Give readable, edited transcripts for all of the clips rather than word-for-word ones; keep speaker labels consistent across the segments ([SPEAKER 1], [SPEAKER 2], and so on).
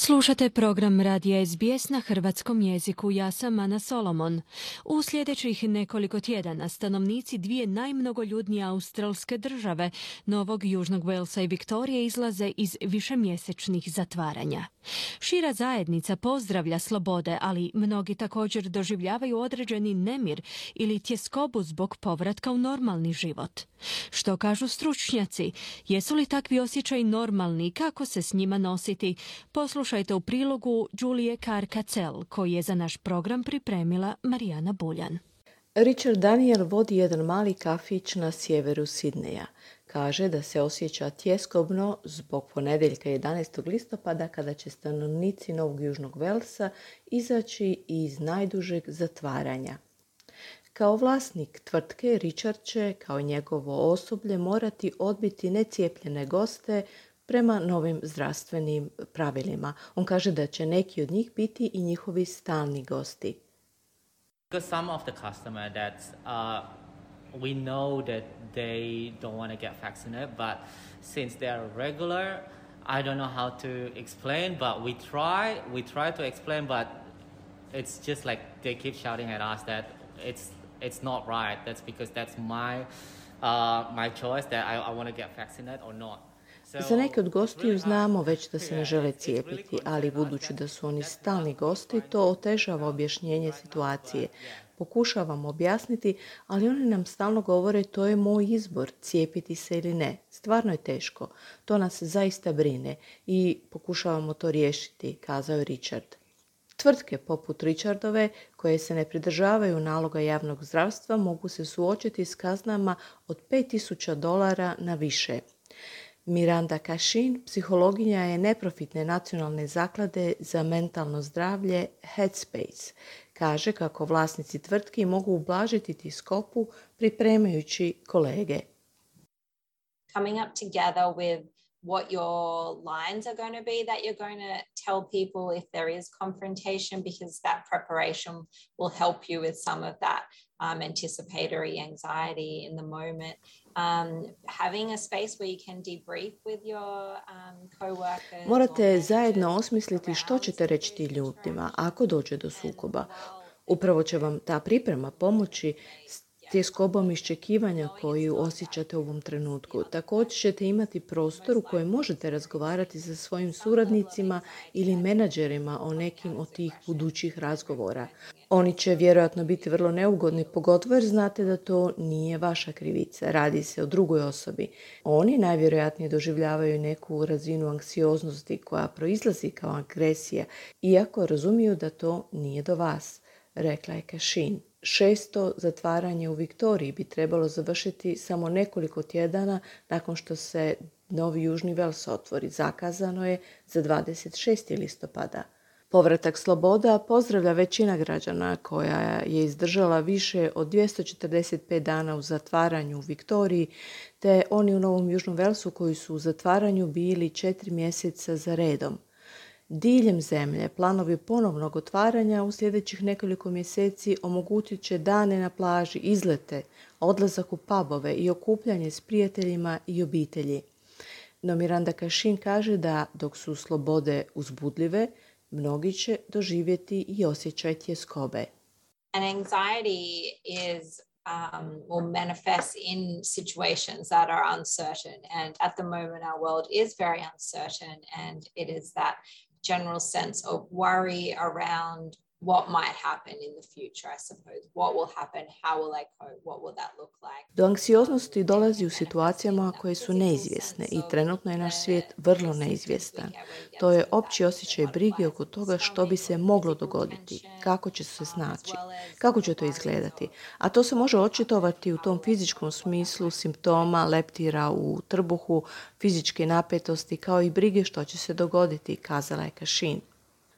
[SPEAKER 1] Slušate program Radija SBS na hrvatskom jeziku. Ja sam Ana Solomon. U sljedećih nekoliko tjedana stanovnici dvije najmnogoljudnije australske države, Novog Južnog Walesa i Viktorije, izlaze iz višemjesečnih zatvaranja. Šira zajednica pozdravlja slobode, ali mnogi također doživljavaju određeni nemir ili tjeskobu zbog povratka u normalni život. Što kažu stručnjaci? Jesu li takvi osjećaji normalni i kako se s njima nositi? Poslušajte u prilogu Julie Carr-Kacel, koji je za naš program pripremila Marijana Buljan.
[SPEAKER 2] Richard Daniel vodi jedan mali kafić na sjeveru Sidneja. Kaže da se osjeća tjeskobno zbog ponedjeljka 11. listopada kada će stanovnici Novog Južnog Walesa izaći iz najdužeg zatvaranja. Kao vlasnik tvrtke, Richard će, kao i njegovo osoblje, morati odbiti necijepljene goste prema novim zdravstvenim pravilima. On kaže da će neki od njih biti i njihovi stalni gosti.
[SPEAKER 3] Because some of the customer that we know that they don't want to get vaccinated, but since they are regular, I don't know how to explain, but we try to explain, but it's just like they keep shouting at us that it's not right. That's because that's my choice that I want to get vaccinated or not.
[SPEAKER 2] Za neke od gostiju znamo već da se ne žele cijepiti, ali budući da su oni stalni gosti, to otežava objašnjenje situacije. Pokušavamo objasniti, ali oni nam stalno govore to je moj izbor, cijepiti se ili ne. Stvarno je teško. To nas zaista brine i pokušavamo to riješiti, kazao je Richard. Tvrtke poput Richardove, koje se ne pridržavaju naloga javnog zdravstva, mogu se suočiti s kaznama od $5,000 na više. Miranda Cashin, psihologinja je neprofitne nacionalne zaklade za mentalno zdravlje Headspace. Kaže kako vlasnici tvrtki mogu ublažiti tjeskobu pripremajući kolege.
[SPEAKER 4] Coming up together with what your lines are going to be that you're going to tell people if there is confrontation, because that preparation will help you with some of that anticipatory anxiety in the moment. Having a space where you can debrief with your co-workers.
[SPEAKER 2] Morate zajedno osmisliti što ćete reći ti ljudima ako dođe do sukoba. Upravo će vam ta priprema pomoći s tjeskobom iščekivanja koju osjećate u ovom trenutku. Također ćete imati prostor u kojem možete razgovarati sa svojim suradnicima ili menadžerima o nekim od tih budućih razgovora. Oni će vjerojatno biti vrlo neugodni, pogotovo jer znate da to nije vaša krivica. Radi se o drugoj osobi. Oni najvjerojatnije doživljavaju neku razinu anksioznosti koja proizlazi kao agresija, iako razumiju da to nije do vas, rekla je Cashin. 6. zatvaranje u Viktoriji bi trebalo završiti samo nekoliko tjedana nakon što se Novi Južni Wales otvori. Zakazano je za 26. listopada. Povratak sloboda pozdravlja većina građana koja je izdržala više od 245 dana u zatvaranju u Viktoriji, te oni u Novom Južnom Walesu koji su u zatvaranju bili 4 mjeseca za redom. Diljem zemlje planovi ponovnog otvaranja u sljedećih nekoliko mjeseci omogućit će dane na plaži, izlete, odlazak u pubove i okupljanje s prijateljima i obitelji. No Miranda Cashin kaže da dok su slobode uzbudljive, mnogi će doživjeti i osjećaj tjeskobe.
[SPEAKER 4] And anxiety is will manifest in situations that are uncertain. And at the moment, our world is very uncertain. And it is that general sense of worry around what might happen in the future, I suppose. What will happen? How will I cope? What will that look like?
[SPEAKER 2] Do anksioznosti dolazi u situacijama koje su neizvjesne i trenutno je naš svijet vrlo neizvjestan. To je opći osjećaj brige oko toga što bi se moglo dogoditi, kako će se snaći, kako će to izgledati. A to se može očitovati u tom fizičkom smislu simptoma leptira u trbuhu, fizičke napetosti kao i brige što će se dogoditi, kazala je Cashin.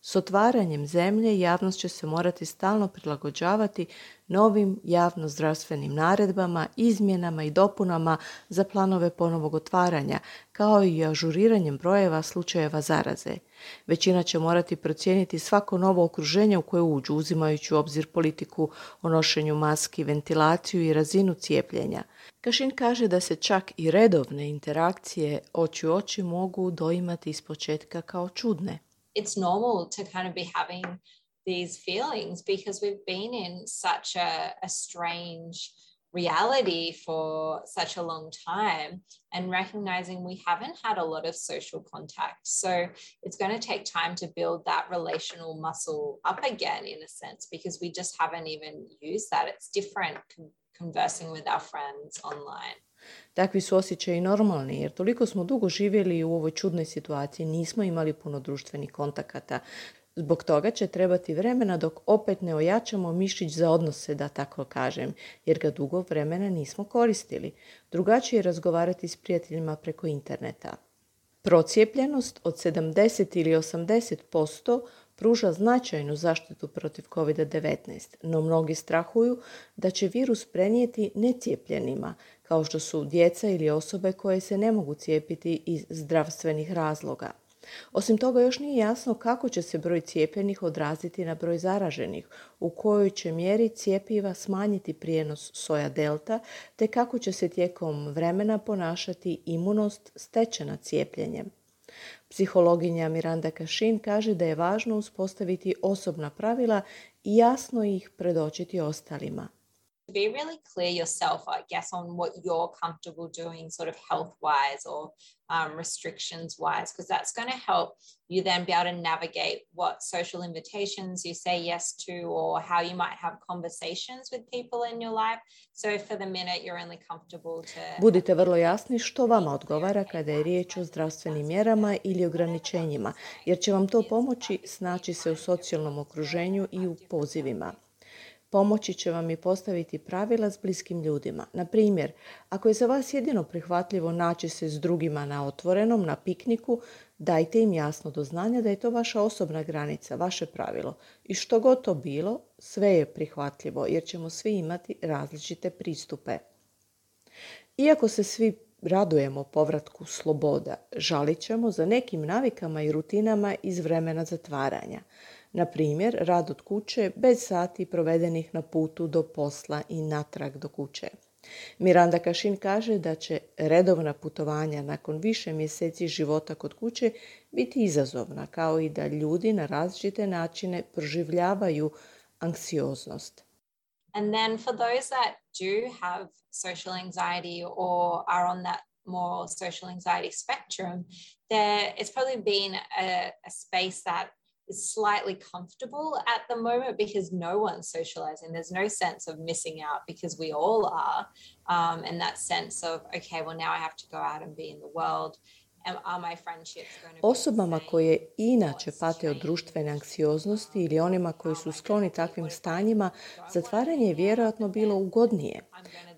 [SPEAKER 2] S otvaranjem zemlje javnost će se morati stalno prilagođavati novim javno-zdravstvenim naredbama, izmjenama i dopunama za planove ponovnog otvaranja, kao i ažuriranjem brojeva slučajeva zaraze. Većina će morati procijeniti svako novo okruženje u koje uđu, uzimajući u obzir politiku o nošenju maski, ventilaciju i razinu cijepljenja. Cashin kaže da se čak i redovne interakcije oči u oči mogu doimati ispočetka kao čudne.
[SPEAKER 4] it's normal to kind of be having these feelings because we've been in such a strange reality for such a long time, and recognizing we haven't had a lot of social contact. So it's going to take time to build that relational muscle up again, in a sense, because we just haven't even used that. It's different conversing with our friends online.
[SPEAKER 2] Takvi su osjećaji normalni, jer toliko smo dugo živjeli u ovoj čudnoj situaciji, nismo imali puno društvenih kontakata. Zbog toga će trebati vremena dok opet ne ojačamo mišić za odnose, da tako kažem, jer ga dugo vremena nismo koristili. Drugačije je razgovarati s prijateljima preko interneta. Procijepljenost od 70 ili 80% pruža značajnu zaštitu protiv COVID-19, no mnogi strahuju da će virus prenijeti necijepljenima, kao što su djeca ili osobe koje se ne mogu cijepiti iz zdravstvenih razloga. Osim toga, još nije jasno kako će se broj cijepljenih odraziti na broj zaraženih, u kojoj će mjeri cjepiva smanjiti prijenos soja delta, te kako će se tijekom vremena ponašati imunost stečena cijepljenjem. Psihologinja Miranda Kashin kaže da je važno uspostaviti osobna pravila i jasno ih predočiti ostalima.
[SPEAKER 4] Be really clear yourself, I guess, on what you're comfortable doing sort of health-wise or restrictions-wise, because that's going to help you then be able to navigate what social invitations you say yes to, or how you might have conversations with people in your life. So for the minute you're only comfortable to...
[SPEAKER 2] Budite vrlo jasni što vama odgovara kada je riječ o zdravstvenim mjerama ili ograničenjima, jer će vam to pomoći snaći se u socijalnom okruženju i u pozivima. Pomoći će vam i postaviti pravila s bliskim ljudima. Na primjer, ako je za vas jedino prihvatljivo naći se s drugima na otvorenom, na pikniku, dajte im jasno do znanja da je to vaša osobna granica, vaše pravilo. I što god to bilo, sve je prihvatljivo jer ćemo svi imati različite pristupe. Iako se svi radujemo povratku sloboda, žalit ćemo za nekim navikama i rutinama iz vremena zatvaranja. Na primjer, rad od kuće bez sati provedenih na putu do posla i natrag do kuće. Miranda Kashin kaže da će redovna putovanja nakon više mjeseci života kod kuće biti izazovna, kao i da ljudi na različite načine proživljavaju anksioznost.
[SPEAKER 4] And then for those that do have social anxiety or are on that more social anxiety spectrum, it's probably been a space that is slightly comfortable at the moment because no one's socializing. There's no sense of missing out because we all are. And that sense of, okay, well now I have to go out and be in the world. Are my friendships going to be
[SPEAKER 2] Osobama koje inače pate od društvene anksioznosti ili onima koji su skloni takvim stanjima, zatvaranje je vjerojatno bilo ugodnije.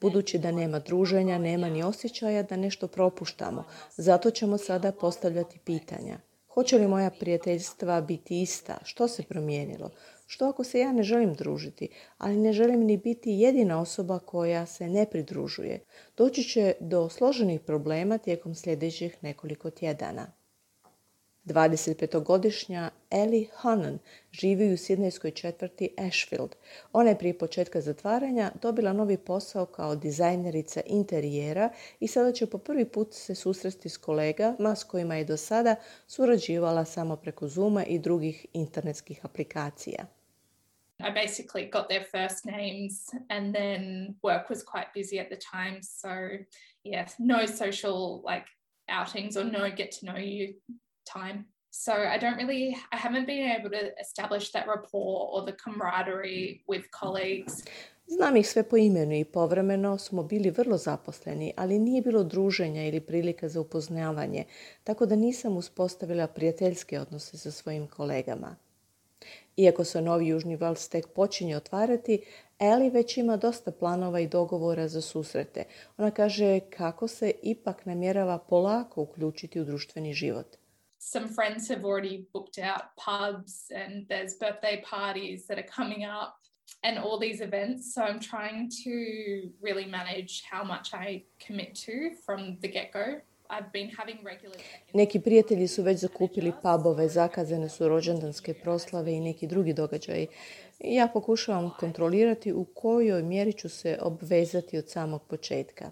[SPEAKER 2] Budući da nema druženja, nema ni osjećaja da nešto propuštamo. Zato ćemo sada postavljati pitanja. Hoće li moja prijateljstva biti ista? Što se promijenilo? Što ako se ja ne želim družiti, ali ne želim ni biti jedina osoba koja se ne pridružuje? Doći će do složenih problema tijekom sljedećih nekoliko tjedana. 25-godišnja Ellie Hannon živi u sidnejskoj četvrti Ashfield. Ona je prije početka zatvaranja dobila novi posao kao dizajnerica interijera i sada će po prvi put se susresti s kolegama s kojima je do sada surađivala samo preko Zooma i drugih internetskih aplikacija.
[SPEAKER 5] I basically got their first names and then work was quite busy at the time. So yeah, no social outings or no get to know you time. So I haven't been able to establish that rapport or the camaraderie with colleagues.
[SPEAKER 2] Znam ih sve po imenu i povremeno smo bili vrlo zaposleni, ali nije bilo druženja ili prilika za upoznavanje, tako da nisam uspostavila prijateljske odnose sa svojim kolegama. Iako se novi južni val tek počinje otvarati, Ellie već ima dosta planova i dogovora za susrete. Ona kaže kako se ipak namjerava polako uključiti u društveni život.
[SPEAKER 5] Some friends have already booked out pubs and there's birthday parties that are coming up and all these events. So I'm trying to really manage how much I commit to from the get-go. I've been having regular...
[SPEAKER 2] Neki prijatelji su već zakupili pubove, zakazane su rođendanske proslave i neki drugi događaji. Ja pokušavam kontrolirati u kojoj mjeri ću se obvezati od samog početka.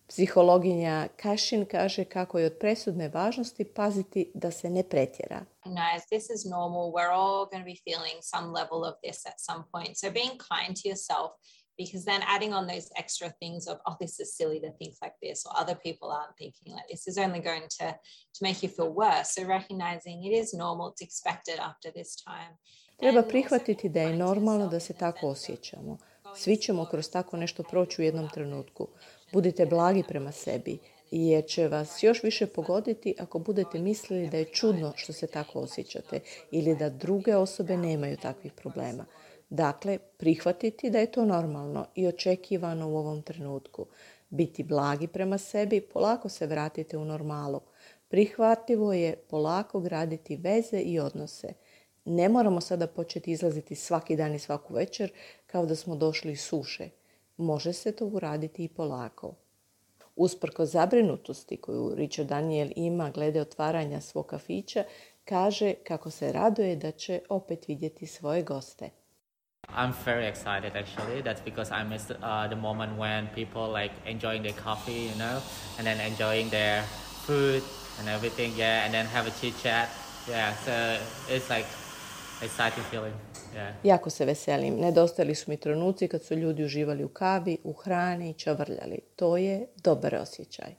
[SPEAKER 2] Psihologinja Cashin kaže kako je od presudne važnosti paziti da se ne pretjera.
[SPEAKER 4] Recognize this is normal. We're all going to be feeling some level of this at some point. So being kind to yourself, because then adding on those extra things of, oh, this is silly to think like this, or other people aren't thinking like this, is only going to make you feel worse. So recognizing it is normal, it's expected after this time.
[SPEAKER 2] Treba prihvatiti da je normalno da se tako osjećamo. Svi ćemo kroz tako nešto proći u jednom trenutku. Budite blagi prema sebi, jer će vas još više pogoditi ako budete mislili da je čudno što se tako osjećate ili da druge osobe nemaju takvih problema. Dakle, prihvatiti da je to normalno i očekivano u ovom trenutku. Biti blagi prema sebi, polako se vratite u normalu. Prihvatljivo je polako graditi veze i odnose. Ne moramo sada početi izlaziti svaki dan i svaku večer kao da smo došli iz suše. Može se to uraditi i polako. Usprkos zabrinutosti koju Richard Daniel ima glede otvaranja svog kafića, kaže kako se raduje da će opet vidjeti svoje goste.
[SPEAKER 3] I'm very excited actually. That's because I miss the moment when people like enjoying their coffee, you know, and then enjoying their food and everything, yeah, and then have a chit chat. Yeah, so it's like exciting feeling. Yeah.
[SPEAKER 2] Jako se veselim. Nedostajali su mi trenuci kad su ljudi uživali u kavi, u hrani i čavrljali. To je dobar osjećaj.